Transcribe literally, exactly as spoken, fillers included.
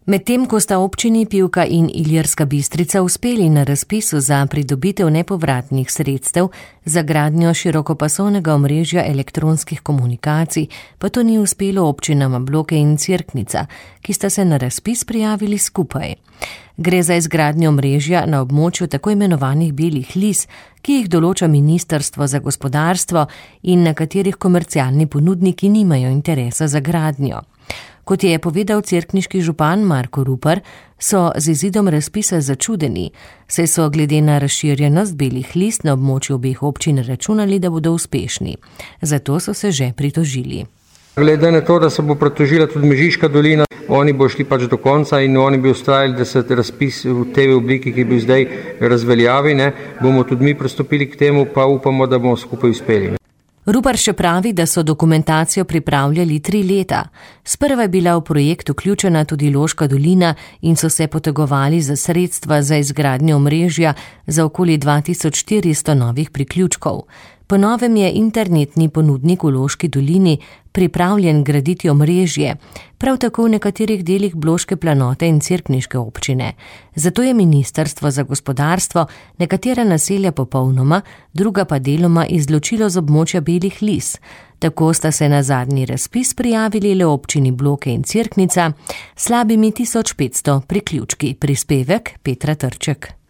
Medtem ko sta občini Pivka in Ilirska Bistrica uspeli na razpisu za pridobitev nepovratnih sredstev za gradnjo širokopasovnega omrežja elektronskih komunikacij, pa to ni uspelo občinama Bloke in Cerknica, ki sta se na razpis prijavili skupaj. Gre za izgradnjo omrežja na območju tako imenovanih belih lis, ki jih določa Ministrstvo za gospodarstvo in na katerih komercialni ponudniki nimajo interesa za gradnjo. Kot je povedal cerkniški župan Marko Rupar, so z izidom razpisa začudeni, saj so glede na razširjenost belih lis na območju obeh občin računali, da bodo uspešni. Zato so se že pritožili. Glede na to, da se bo pritožila tudi Mežiška dolina, oni bo šli pač do konca in oni bi ustrajali, da se razpis v tej obliki, ki bi zdaj razveljavi, ne, bomo tudi mi pristopili k temu, pa upamo, da bomo skupaj uspeli. Rupar še pravi, da so dokumentacijo pripravljali tri leta. Sprva je bila v projekt vključena tudi Loška dolina in so se potegovali za sredstva za izgradnjo omrežja za okoli dva tisoč štiristo novih priključkov. Po novem je internetni ponudnik v Loški dolini pripravljen graditi omrežje, prav tako v nekaterih delih Bloške planote in cerkniške občine. Zato je Ministrstvo za gospodarstvo nekatera naselja popolnoma, druga pa deloma izločilo z območja belih lis. Tako sta se na zadnji razpis prijavili le občini Bloke in Cerknica, slabimi tisoč petsto priključki. Prispevek Petra Trček.